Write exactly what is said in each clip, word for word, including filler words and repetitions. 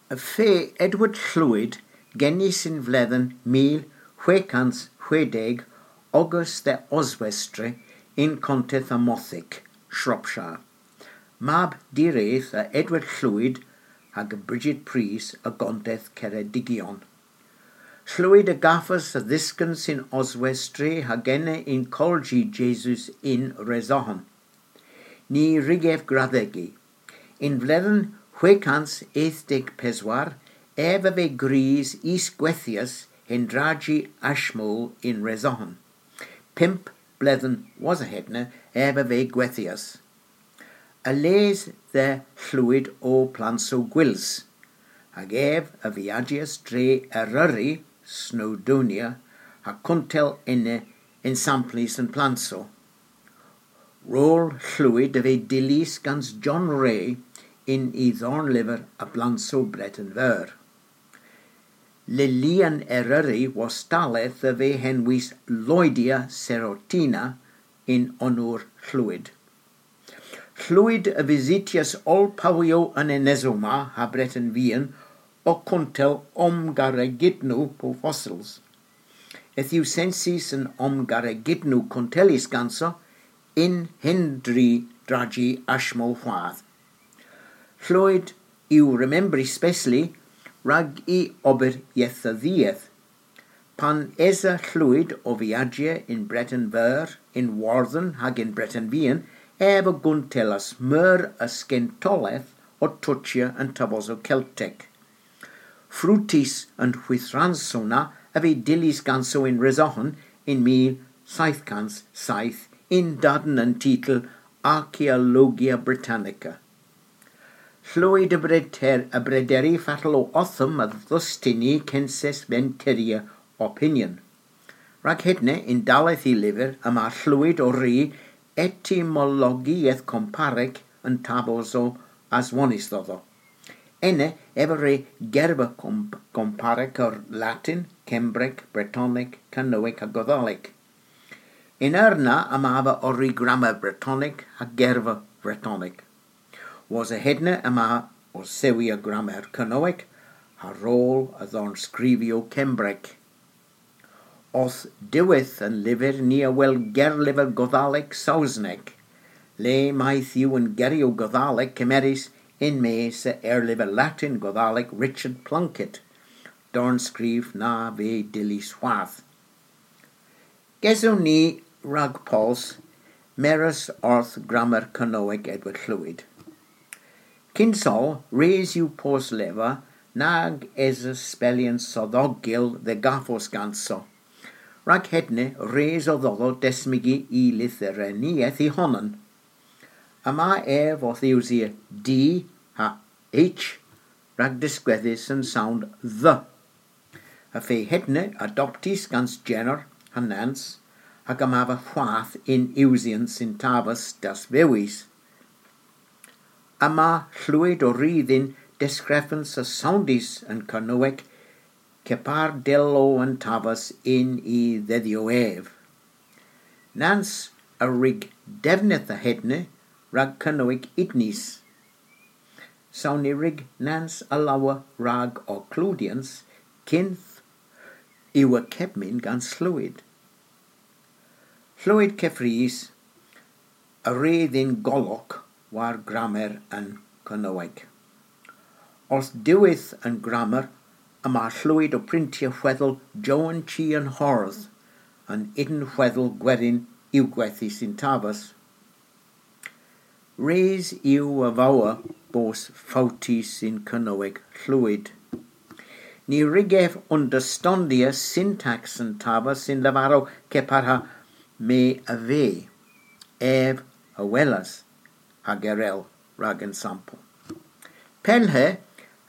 Y fe Edward Llwyd genys yn vledhen mil hwegh kans hwegh deg ogas dhe Oswestry yn konteth Amothick, Shropshire. Mab diredh a Edward Llwyd hag a Bridget Pris a gonteth Ceredigion. Llwyd a gavas a dhyskans yn Oswestry hag ena yn Kolji Jesu yn Resohan. Ny wrug ev gradhegi. Yn vledhen hwegh kans eth deg peswar, ev a veu gwrys is gwithyas yn drajji Ashmole yn Resohan. Pymp bledhen wosa hedna ev a veu gwithyas. A les dhe Llwyd o plansow gwyls, hag ev a viajas dre Eryri, Snowdonia, ha kuntel ena ensamplys an plansow. Rol Llwyd a veu dyllys gans John Ray yn y dhornlyver a blansow Breten Veur. Lelyan Eryri wostalleth a veu henwys Lloydia Serotina yn onor Llwyd. Llwyd a vysytyas oll powyow an enesow ma ha Breten Vian ow kuntel omgaregydnow po fossils. Yth yw census an omgaregydnow kuntellys ganso yn hendri drajji Ashmole hwath. Llwyd yw remembrys spesli rag y ober yetha dhieth. Pan esa Llwyd ow viajya yn Breten Veur, yn Wordhen hag yn Breten Vian, ev a guntellas meur a skentoleth ow tochya an tavosow Keltek. Frutys an hwithrans na a veu dyllys ganso yn Resohan yn mil seyth kans seyth yn darn a'n titel Archaeologia Britannica. Llwyd a breder-, a brederi fatel o othom a dhustynna censes venterya opinion. Rag hedna yn dalleth y lyver yma Llwyd ow ri etymologieth komparek an tavosow aswonys dhodho. Ena ev a wre gerva komp-, komparek a Latin, Kembrek, Bretonek, Kernowek ha Godhalek. Yn eur na yma ev ow ri gramer Bretonek ha gerva Bretonek. Wosa hedna yma ow sewi a gramer Kernowek ha rol a dhornskrifyow Kembrek. Orth diwedh an lyver ni a wel gerlyver Godhalek Sowsnek, le mayth yw an geryow Godhalek kemerys yn-mes a erlyver Latin Godhalek Richard Plunkett, dornskrif na veu dyllys hwath. Gesewgh ni rag pols mires orth gramer Kernowek Edward Llwyd. Kyns oll, res yw posleva nag esa spellyans sodhogel dhe gavos ganso. Rag hedna res o dhodho desmygi y lytherenieth y honan. Yma ev owth usya D ha H rag diskwedhes an sound the. Y feu hedna adoptys gans Jenner ha Nance, hag yma ev hwath yn usyans yn taves daswewys. Yma Llwyd ow ri dhyn deskrifans a sowndys yn Kernowek kepar dell o an taves yn y dhydhyow ev. Nance a wrug devnydh a hedna rag Kernowek udnys. Saw ny wrug Nance a lowr rag ow kludyans kynth yw y kepmyn gans Llwyd. Llwyd keffrys a wre dhyn golok war gramer an Kernowek. Orth diwedh an gramer yma Llwyd ow pryntya hwedhel Jowan Chi an Hordh, an ynwedhel gwerin yw gwethys yn taves. Res yw a vowr bos fowtys yn Kernowek Llwyd. Ny wrug ev understandya syntaks an taves yn lavarow kepar ha me a veu, ev a welas, hag erel rag ensampel. Pellhe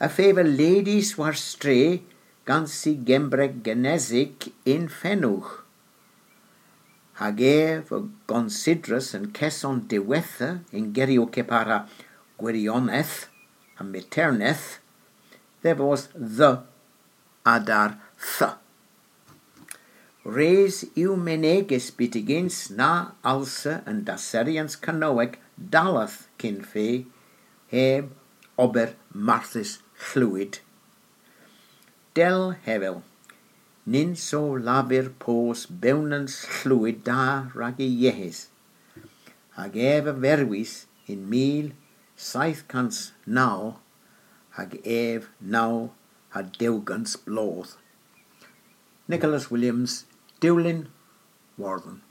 y feu ledys war stre gans y Gembrek genesik yn fenowgh. Hag ev a gonsidras an keson diwettha yn geryow kepar ha gwirionedh ha miterneth, dhe vos the a-der th. Res yw menegys byttegyns na alsa an dasserghyans Kernowek dalleth kyn fe heb ober marthys Llwyd. Dell hevel, nyns o lavar pos bewnans hlwyd da rag y yeghes, hag ev a verwis yn mil seyth kans naw hag ev naw ha dew gans bloodh. Nicholas Williams, Dulyn Wardhen.